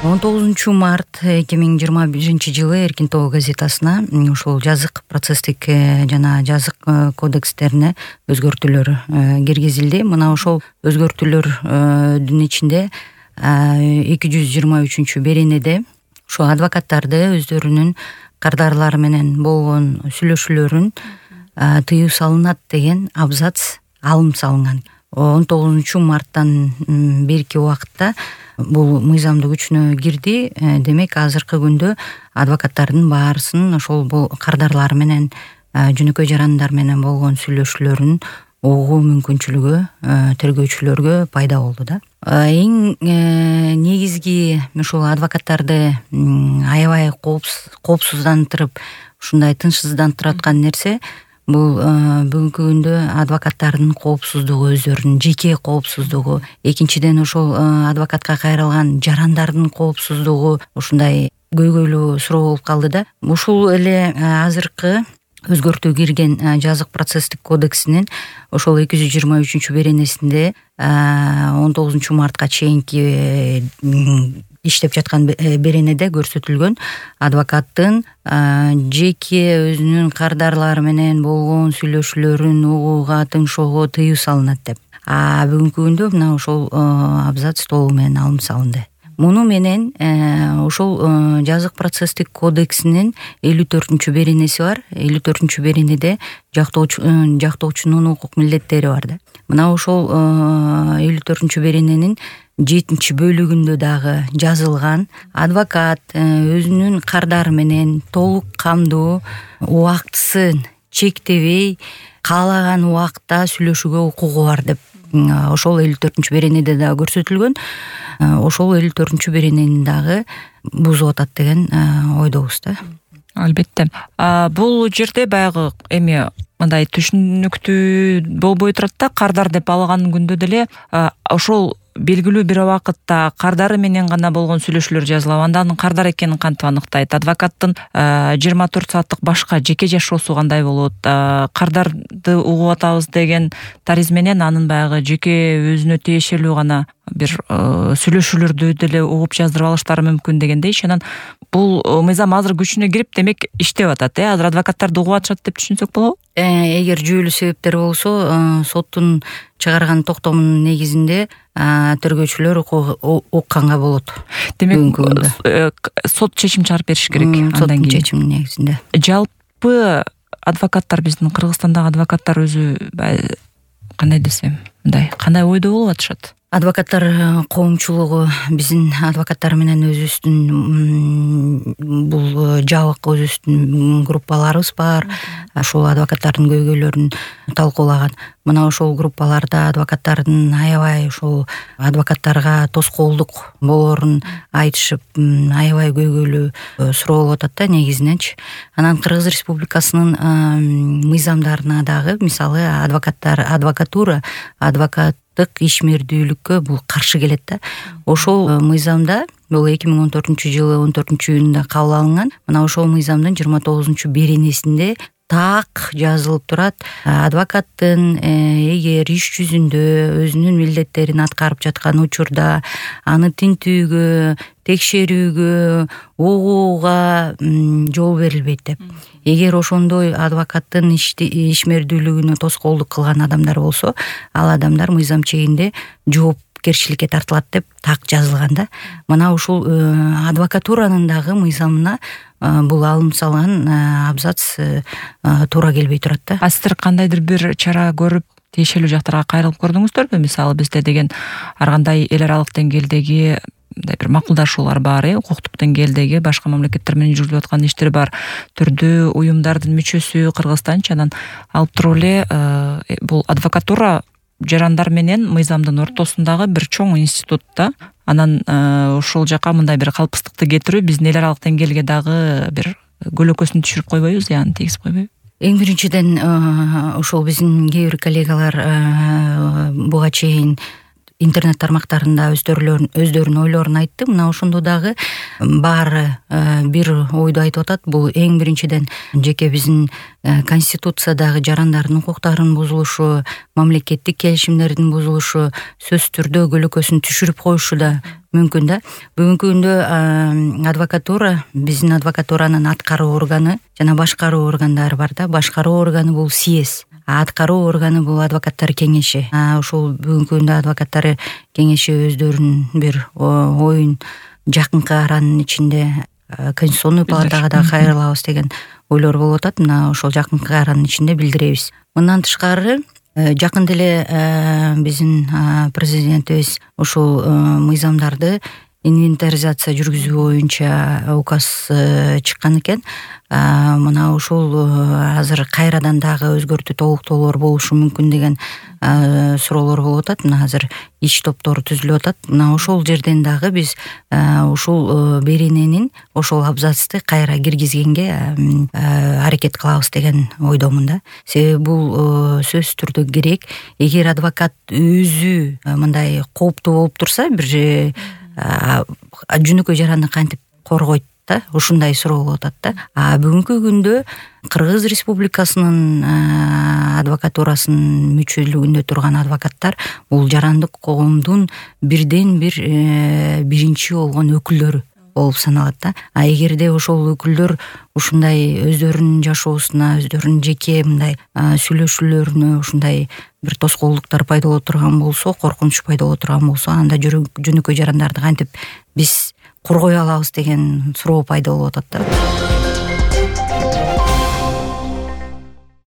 19 март 2021 Эркин тобу газетасына ушул жазык процесстик жана жазык кодекстерине өзгөртүүлөр киргизилди. Мына ошол өзгөртүүлөрдүн ичинде 223 беренеде ошо адвокаттарды өздөрүнүн кардарлары менен болгон сүйлөшүүлөрүн тыюу салынат деген абзац алым салынган. 19 марттан берки убакытта бул мыйзамдуу күчүнө кирди. Демек азыркы күндө адвокаттардын баарысын ошол бул кардарлары менен жөнөкөй жарандар менен болгон сүйлөшүүлөрүн угуу мүмкүнчүлүгү тергөөчүлөргө пайда болду да. Эң негизги ушул адвокаттарды аябай коопсуздандырып, ушундай тынчсыздандырып аткан нерсе бул бүгүнкү күндө адвокаттардын коопсуздугу, өздөрүнүн жеке коопсуздугу, экинчиден ошол адвокатка кайрылган жарандардын коопсуздугу ушундай көйгөйлүү суроо болуп калды да. Ушул эле азыркы өзгөртүү кирген жазык процесстик кодексинин ошол 223 беренесинде 19 мартка чейинки иштеп жаткан беренеде көрсөтүлгөн адвокаттын жеке өзүнүн кардарлары менен болгон сүйлөшүүлөрүн угууга, тыңшоого тыюу салынат деп. Бүгүнкү күндө мына ошол абзац толугу менен алым салынды. Муну менен ошол жазык процесстик кодексинин 54 беренеси бар. 54 беренеде жактоочунун укук милдеттери бар да. Мына ошол 54 берененин 7-бөлүгүндө дагы жазылган адвокат өзүнүн кардары менен толук камдуу, убактысын чектебей каалаган убакта сүйлөшүүгө укугу бар деп ошол 54 беренеде дагы көрсөтүлгөн. Ошол 54 беренени дагы бузуп атат деген ойдобуз да. Албетте. Бул жерде баягы эми мындай түшүнүктүү болбой турат да, кардар деп алаган күндө деле ошол белгилүү бир убакытта кардары менен гана болгон сүйлөшүүлөр жазылат. Андан кардар экенин кантип аныктайт? Адвокаттын 24 сааттык башка жеке жашоосу кандай болот? Кардарды угуп атабыз деген тариз менен анын баягы жеке өзүнө тиешелүү гана бир сүйлөшүүлөрдү деле угуп жаздырып алыштары мүмкүн дегендей. Анан бул мыйзам азыр күчүнө кирип, демек иштеп атат. Азыр адвокаттарды угуп атышат деп түшүнсөк болобу? Эгер жүйөлүү себептер болсо, соттун чыгарган токтомунун негизинде тергөөчүлөр укканга болот. Демек сот чечим чыгарып бериш керек андан кийин. Чечимдин негизинде. Жалпы адвокаттар, биздин Кыргызстандагы адвокаттар өзү кандай десем, мындай кандай ойдо болуп атышат? Адвокаттар коомчулугу биздин адвокаттар менен өзүбүздүн бул жабык өзүбүздүн группаларыбыз бар. Ошол адвокаттардын көйгөйлөрүн талкуулаган. Мына ошол группаларда адвокаттардын аябай ошол адвокаттарга тоскоолдук болоорун айтышып, аябай көйгөйлүү суроо болуп атат да негизиненчи. Анан Кыргыз Республикасынын мыйзамдарына дагы, мисалы адвокатура, ишмердүүлүккө бул каршы келет да. Ошол мыйзамда бул 2014-жылы 14-июнда кабыл алынган. Мына ошол мыйзамдын 29 беренесинде так жазылып турат: адвокаттын эгер иш жүзүндө өзүнүн милдеттерин аткарып жаткан учурда аны тинтүүгө, текшерүүгө, угууга жол берилбейт деп. Эгер ошондой адвокаттын ишмердүүлүгүнө тоскоолдук кылган адамдар болсо, ал адамдар мыйзам чегинде жоопкерчиликке тартылат деп так жазылган да. Мына ушул адвокатуранын дагы мыйзамына бул алым салган абзац туура келбей турат да. Сиздер кандайдыр бир чара көрүп, тиешелүү жактарга кайрылып көрдүңүздөрбү? Мисалы бизде деген ар кандай эл аралык деңгээлдеги бир макулдашуулар бар, укуктук деңгээлдеги башка мамлекеттер менен жүргүзүлүп аткан иштер бар. Түрдүү уюмдардын мүчөсү Кыргызстанчы, анан алып туруп эле бул адвокатура жарандар менен мыйзамдын ортосундагы бир чоң институт да. Анан ушул жака мындай бир калпыстыкты кетирүү биздин эл аралык деңгээлге дагы бир көлөкөсүн түшүрүп койбойбу, зыянын тийгизип койбойбу? Эң биринчиден ошол биздин кээ бир коллегалар буга чейин интернет тармактарында өздөрүнүн ойлорун айтты. Мына ошондо дагы баары бир ойду айтып атат. Бул эң биринчиден жеке биздин конституциядагы жарандардын укуктарынын бузулушу, мамлекеттик келишимдердин бузулушу, сөзсүз түрдө көлөкөсүн түшүрүп коюшу да мүмкүн да. Бүгүнкү күндө адвокатура, биздин адвокатуранын аткаруу органы жана башкаруу органдары бар да. Башкаруу органы бул съезд, аткаруу органы бул адвокаттар кеңеши. Ушул бүгүнкү күндө адвокаттар кеңеши өздөрүнүн бир оюн жакынкы аранын ичинде конституционный палатага да кайрылабыз деген ойлор болуп атат. Мына ошол жакынкы аранын ичинде билдиребиз. Мындан тышкары жакында эле биздин президентибиз ушул мыйзамдарды инвентаризация жүргүзүү боюнча указ чыккан экен. Мына ушул азыр кайрадан дагы өзгөртүү толуктоолор болушу мүмкүн деген суроолор болуп атат. Мына азыр иш топтору түзүлүп атат. Мына ошол жерден дагы биз ушул берененин ошол абзацты кайра киргизгенге аракет кылабыз деген ойдомун да. Себеби бул сөзсүз түрдө керек. Эгер адвокат өзү мындай кооптуу болуп турса, бир жөнөкөй жараны кантип коргойт да, ушундай суроо болуп атат да. Бүгүнкү күндө Кыргыз Республикасынын адвокатурасынын мүчөлүгүндө турган адвокаттар бул жарандык коомдун бирден бир биринчи болгон өкүлдөрү болуп саналат да. Эгерде ошол өкүлдөр ушундай өздөрүнүн жашоосуна, өздөрүнүн жеке мындай сүйлөшүүлөрүнө ушундай бир тоскоолдуктар пайда боло турган болсо, коркунуч пайда боло турган болсо, анда жөнөкөй жарандарды кантип биз коргой алабыз деген суроо пайда болуп атат да.